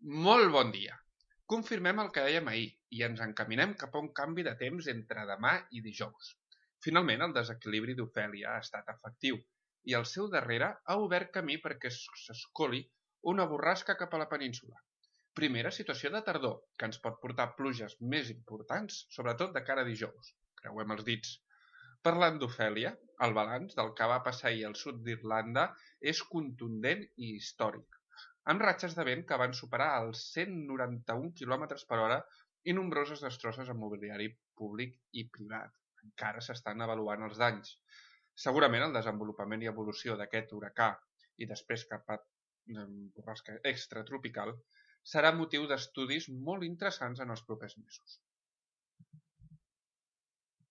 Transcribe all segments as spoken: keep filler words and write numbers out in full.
Molt bon dia. Confirmem el que dèiem ahir i ens encaminem cap a un canvi de temps entre demà i dijous. Finalment, el desequilibri d'Ofèlia ha estat efectiu i al seu darrere ha obert camí perquè s'escoli una borrasca cap a la península. Primera situació de tardor, que ens pot portar pluges més importants, sobretot de cara a dijous. Creuem els dits. Parlant d'Ofèlia, el balanç del que va passar ahir al sud d'Irlanda és contundent i històric, amb ratxes de vent que van superar els cent noranta-un quilòmetres per hora i nombroses destrosses en mobiliari públic i privat. Encara s'estan avaluant els danys. Segurament el desenvolupament i evolució d'aquest huracà i després cap a borrasca extratropical serà motiu d'estudis molt interessants en els propers mesos.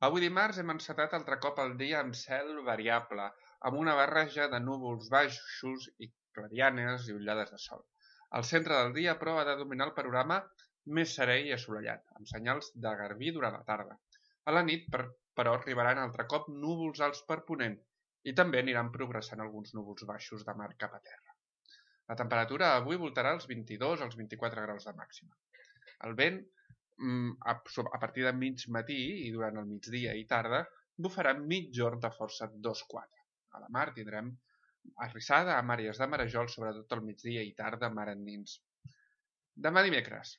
Avui dimarts hem encetat altre cop el dia amb cel variable, amb una barreja de núvols baixos i clarianes i ullades de sol. Al centre del dia, però, ha de dominar el panorama més serè i assolellat, amb senyals de garbí durant la tarda. A la nit, però, arribaran altre cop núvols alts per ponent i també aniran progressant alguns núvols baixos de mar cap a terra. La temperatura avui voltarà als vint-i-dos als vint-i-quatre graus de màxima. El vent, a partir de mig matí i durant el migdia i tarda, bufarà mitjorn de força dos quatre. A la mar tindrem arrissada amb àrees de marejol, sobretot al migdia i tarda, mar endins. Demà dimecres.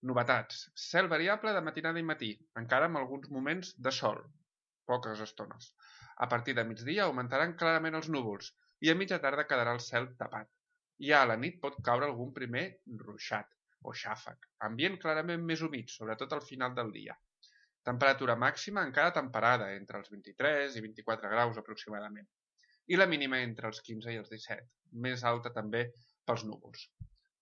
Novetats. Cel variable de matinada i matí, encara amb alguns moments de sol, poques estones. A partir de migdia augmentaran clarament els núvols i a mitja tarda quedarà el cel tapat. Ja a la nit pot caure algun primer ruixat o xàfec, ambient clarament més humit, sobretot al final del dia. Temperatura màxima encara temperada, entre els vint-i-tres i vint-i-quatre graus aproximadament, i la mínima entre els quinze i els disset, més alta també pels núvols.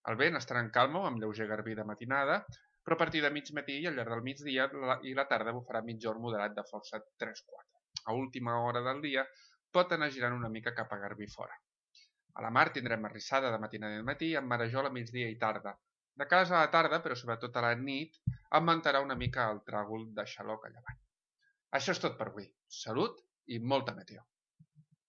El vent estarà en calma o amb lleuger garbí de matinada, però a partir de mig matí i al llarg del migdia i la tarda bufarà mitjorn moderat de força tres quatre. A última hora del dia pot anar girant una mica cap a garbí fora. A la mar tindrem arrissada de matinada i matí amb marejol a migdia i tarda. De cara a la tarda, però sobretot a la nit, augmentarà una mica el tràgol de xaloc a llevant. Això és tot per avui. Salut i molta meteo.